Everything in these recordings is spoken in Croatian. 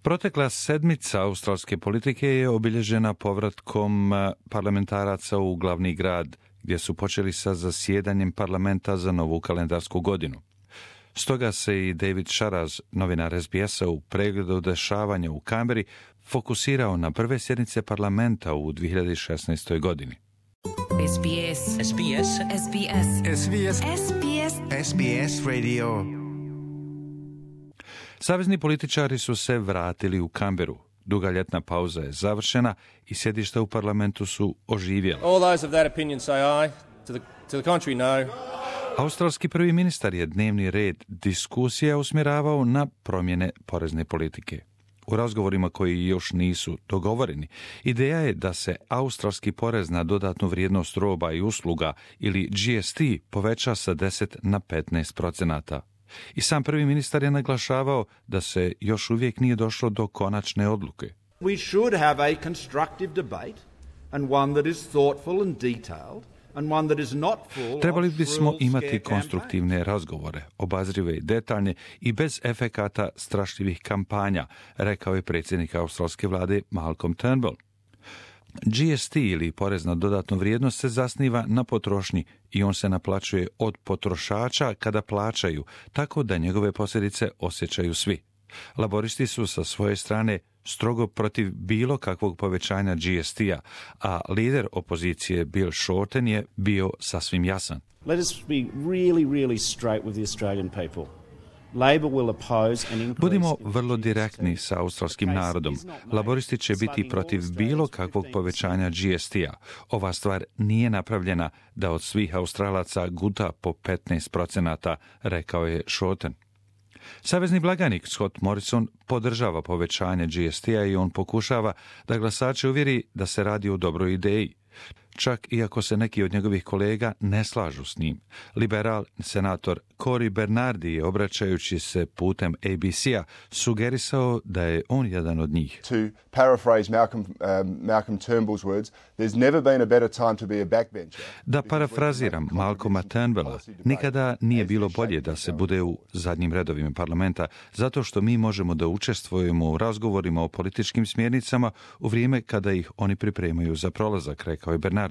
Protekla sedmica australske politike je obilježena povratkom parlamentaraca u glavni grad, gdje su počeli sa zasjedanjem parlamenta za novu kalendarsku godinu. Stoga se i David Sharaz, novinar SBS-a, u pregledu dešavanja u Canberri fokusirao na prve sjednice parlamenta u 2016. godini. SBS. SBS. SBS. SBS. SBS. SBS Radio. Savezni političari su se vratili u Canberru. Duga ljetna pauza je završena i sjedišta u parlamentu su oživjela. All those of that opinion say aye. To the contrary, no. Australski prvi ministar je dnevni red diskusija usmjeravao na promjene porezne politike. U razgovorima koji još nisu dogovoreni, ideja je da se australski porez na dodatnu vrijednost roba i usluga ili GST poveća sa 10 na 15%. I sam prvi ministar je naglašavao da se još uvijek nije došlo do konačne odluke. We should have a constructive debate and one that is thoughtful and detailed. Trebali bismo imati konstruktivne razgovore, obazrive i detaljne i bez efekata strašljivih kampanja, rekao je predsjednik australske vlade Malcolm Turnbull. GST ili porez na dodatnu vrijednost se zasniva na potrošnji i on se naplaćuje od potrošača kada plaćaju, tako da njegove posljedice osjećaju svi. Laboristi su sa svoje strane strogo protiv bilo kakvog povećanja GST-a, a lider opozicije Bill Shorten je bio sasvim jasan. Let us be really straight with the Australian people. Labor will oppose an increase. Budimo vrlo direktni sa australskim narodom. Laboristi će biti protiv bilo kakvog povećanja GST-a. Ova stvar nije napravljena da od svih Australaca guta po 15%, rekao je Shorten. Savezni blagajnik Scott Morrison podržava povećanje GST-a i on pokušava da glasače uvjeri da se radi o dobroj ideji. Čak iako se neki od njegovih kolega ne slažu s njim. Liberal senator Cory Bernardi je, obraćajući se putem ABC-a, sugerisao da je on jedan od njih. To paraphrase Malcolm Turnbull's words, there's never been a better time to be a backbencher. Da parafraziram Malcolma Turnbulla, nikada nije bilo bolje da se bude u zadnjim redovima parlamenta, zato što mi možemo da učestvujemo u razgovorima o političkim smjernicama u vrijeme kada ih oni pripremaju za prolazak, rekao je Bernardi.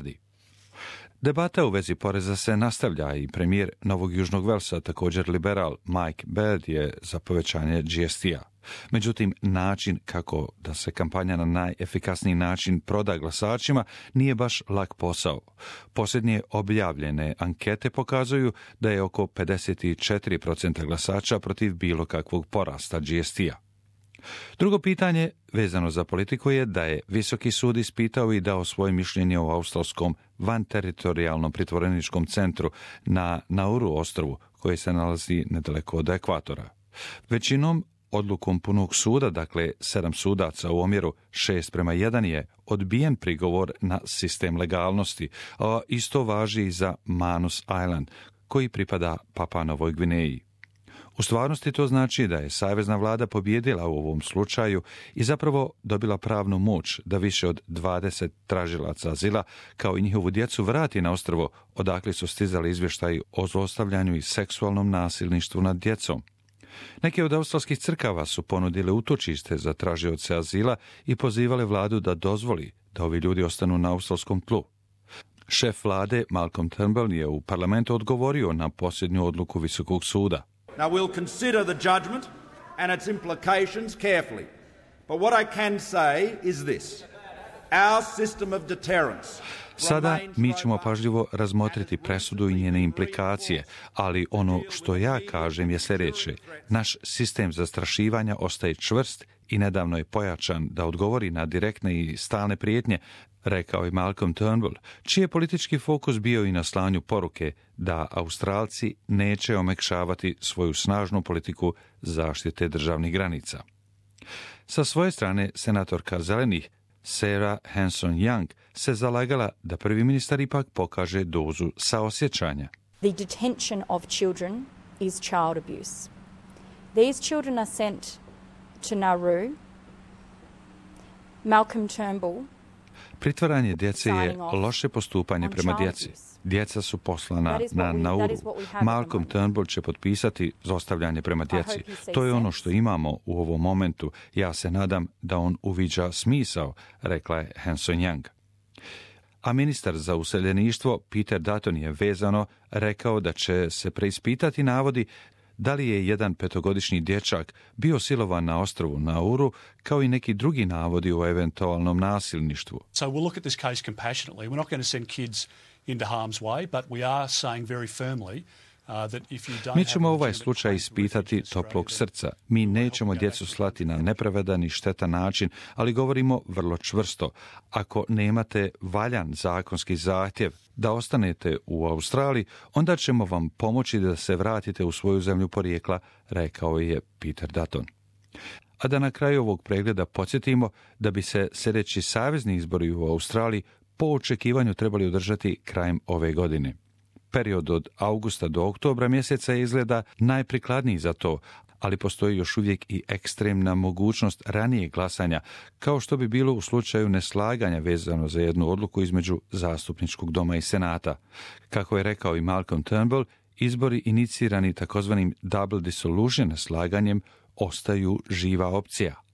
Debata u vezi poreza se nastavlja i premijer Novog Južnog Velsa, također liberal Mike Baird, je za povećanje GST-a. Međutim, način kako da se kampanja na najefikasniji način proda glasačima nije baš lak posao. Posljednje objavljene ankete pokazuju da je oko 54% glasača protiv bilo kakvog porasta GST-a. Drugo pitanje vezano za politiku je da je Visoki sud ispitao i dao svoje mišljenje o australskom vanteritorijalnom pritvoreničkom centru na Nauru ostrvu, koji se nalazi nedaleko od ekvatora. Većinom odlukom punog suda, dakle 7 sudaca u omjeru 6:1, je odbijen prigovor na sistem legalnosti, a isto važi i za Manus Island, koji pripada Papua Novoj Gvineji. U stvarnosti to znači da je savezna vlada pobijedila u ovom slučaju i zapravo dobila pravnu moć da više od 20 tražilaca azila, kao i njihovu djecu, vrati na ostrvo odakle su stizali izvještaji o zlostavljanju i seksualnom nasilništvu nad djecom. Neke od australskih crkava su ponudile utočište za tražioce azila i pozivale vladu da dozvoli da ovi ljudi ostanu na australskom tlu. Šef vlade Malcolm Turnbull je u parlamentu odgovorio na posljednju odluku Visokog suda. Now we'll consider the judgment and its implications carefully. But what I can say is this. Our system of deterrence. Sada mi ćemo pažljivo razmotriti presudu i njene implikacije, ali ono što ja kažem je sljedeće. Naš sistem zastrašivanja ostaje čvrst i nedavno je pojačan da odgovori na direktne i stalne prijetnje, rekao je Malcolm Turnbull, čiji je politički fokus bio i na slanju poruke da Australci neće omekšavati svoju snažnu politiku zaštite državnih granica. Sa svoje strane, senatorka Zelenih Sarah Hanson-Young se zalagala da prvi ministar ipak pokaže dozu saosjećanja. The detention of children is child abuse. These children are sent to Nauru. Malcolm Turnbull. Pritvaranje djece je loše postupanje prema djeci. Djeca su poslana na Nauru. Malcolm Turnbull će potpisati zlostavljanje prema djeci. To je ono što imamo u ovom momentu. Ja se nadam da on uviđa smisao, rekla je Hanson Young. A ministar za useljeništvo Peter Dutton je vezano rekao da će se preispitati navodi da li je jedan 5-godišnji dječak bio silovan na ostrvu Nauru, kao i neki drugi navodi o eventualnom nasilništvu. So we'll look at this case compassionately. We're not going to send kids into harm's way, but we are saying very firmly Mi ćemo ovaj slučaj ispitati toplog srca. Mi nećemo djecu slati na nepravedan i štetan način, ali govorimo vrlo čvrsto. Ako nemate valjan zakonski zahtjev da ostanete u Australiji, onda ćemo vam pomoći da se vratite u svoju zemlju porijekla, rekao je Peter Dutton. A da na kraju ovog pregleda podsjetimo da bi se sljedeći savezni izbori u Australiji po očekivanju trebali održati krajem ove godine. Period od augusta do oktobra mjeseca izgleda najprikladniji za to, ali postoji još uvijek i ekstremna mogućnost ranijeg glasanja, kao što bi bilo u slučaju neslaganja vezano za jednu odluku između zastupničkog doma i senata. Kako je rekao i Malcolm Turnbull, izbori inicirani takozvanim double dissolution neslaganjem ostaju živa opcija.